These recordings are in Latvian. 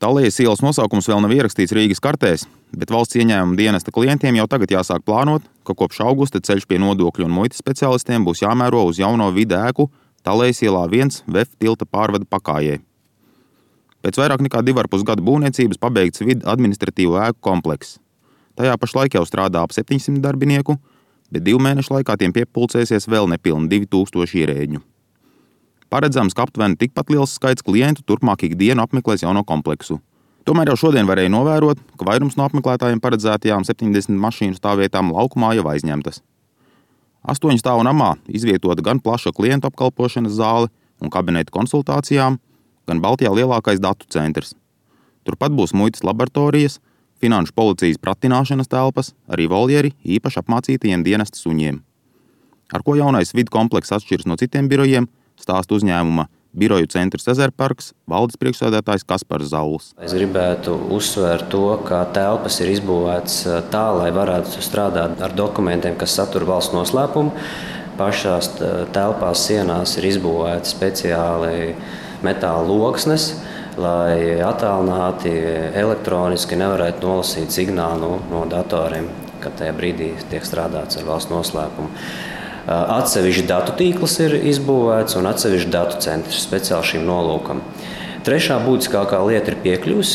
Talijas ielas nosaukums vēl nav ierakstīts Rīgas kartēs, bet valsts ieņēmuma dienesta klientiem jau tagad jāsāk plānot, ka kopš augusta ceļš pie nodokļu un muitas speciālistiem būs jāmēro uz jauno vidu ēku Talijas ielā 1 VF tilta pārvada pakājē. Pēc vairāk nekā 2,5 gadu būvniecības pabeigts vidu administratīvo ēku komplekss. Tajā pašlaik jau strādā ap 700 darbinieku, bet 2 mēnešu laikā tiem piepulcēsies vēl nepilni 2000 ierēģņu. Paredzams, ka aptuveni tikpat liels skaits klientu turpmāk ikdienu apmeklēs jauno kompleksu. Tomēr jau šodien varēja novērot, ka vairums no apmeklētājiem paredzētajām 70 mašīnu stāvvietām laukumā jau aizņemtas. 8 stāvu namā izvietota gan plaša klientu apkalpošanas zāle un kabineta konsultācijām, gan Baltijā lielākais datu centrs. Turpat būs muitas laboratorijas, finanšu policijas pratināšanas telpas, arī voljeri īpaši apmācītajiem dienesta suņiem. Ar ko jaunais vidu komplekss atšķiras no citiem birojiem, stāsta uzņēmuma biroju centrs Ezerparks valdes priekšsēdētājs Kaspars Zauls. Es gribētu uzsvērt to, ka telpas ir izbūvētas tā, lai varētu strādāt ar dokumentiem, kas satur valsts noslēpumu. Pašās telpās sienās ir izbūvētas speciāli metāla loksnes, lai attālināti elektroniski nevarētu nolasīt signālu no datoriem, kad tajā brīdī tiek strādāts ar valsts noslēpumu. Atsevišķi datu tīkls ir izbūvēts un atsevišķi datu centrs speciāli šim nolūkam. Trešā būtiskākā lieta ir piekļuves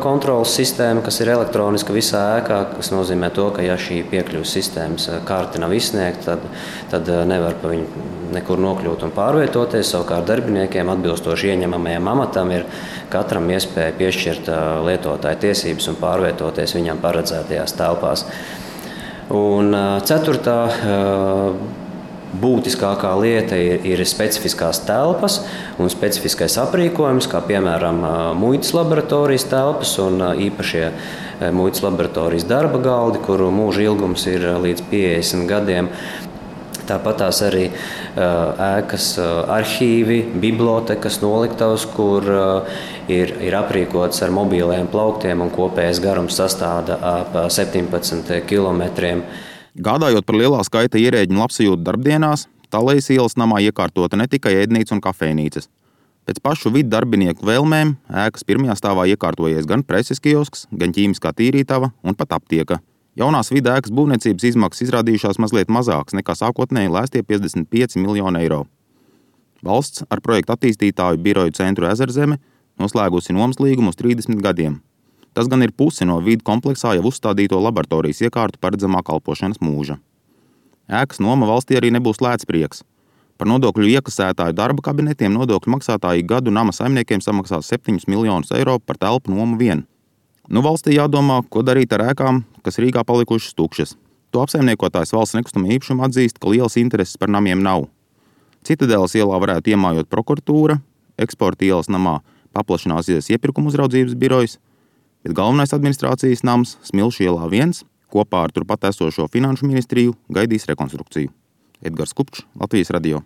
kontrolas sistēma, kas ir elektroniska visā ēkā, kas nozīmē to, ka ja šī piekļuves sistēmas karte nav izsniegta, tad nevar pa viņu nekur nokļūt un pārvietoties. Savukārt darbiniekiem atbilstoši ieņemamajam amatam ir katram iespēja piešķirt lietotāju tiesības un pārvietoties viņam paredzētajās telpās. Un ceturtā būtiskākā lieta ir specifiskās telpas un specifiskais aprīkojums, kā piemēram muitas laboratorijas telpas un īpašie muitas laboratorijas darba galdi, kuru mūža ilgums ir līdz 50 gadiem. Tāpat tās arī ēkas arhīvi, bibliotekas noliktavas, kur ir aprīkots ar mobīliem plauktiem un kopējais garums sastāda ap 17 kilometriem. Gādājot par lielā skaita ierēģņu labsajūtu darbdienās, Talijas ielas namā iekārtota ne tikai ēdnīca un kafejnīcas. Pēc pašu vidu darbinieku vēlmēm ēkas pirmajā stāvā iekārtojies gan preses kiosks, gan ķīmiskā tīrītava un pat aptieka. Jaunās vidu ēkas būvniecības izmaksas izrādījušās mazliet mazākas nekā sākotnēji lēstie 55 miljoni eiro. Valsts ar projektu attīstītāju biroju centru Ezerzeme noslēgusi nomas līgumu uz 30 gadiem. Tas gan ir puse no vidu kompleksā jau uzstādīto laboratorijas iekārtu paredzamā kalpošanas mūža. Ēkas noma valstī arī nebūs lēts prieks. Par nodokļu iekasētāju darba kabinetiem nodokļu maksātāji gadu nama saimniekiem samaksās 7 miljonus eiro par telpu nomu vien. Valstī jādomā, ko darīt ar ēkām, kas Rīgā palikušas tukšas. To apsaimniekotājs valsts nekustamā īpašuma atzīst, ka lielas intereses par namiem nav. Citadeles ielā varētu iemājot prokuratūra, Eksporta ielas namā paplašināsies iepirkuma uzraudzības birojs, bet galvenais administrācijas nams Smilšu ielā 1 kopā ar turpat esošo finanšu ministriju gaidīs rekonstrukciju. Edgars Kupčs, Latvijas radio.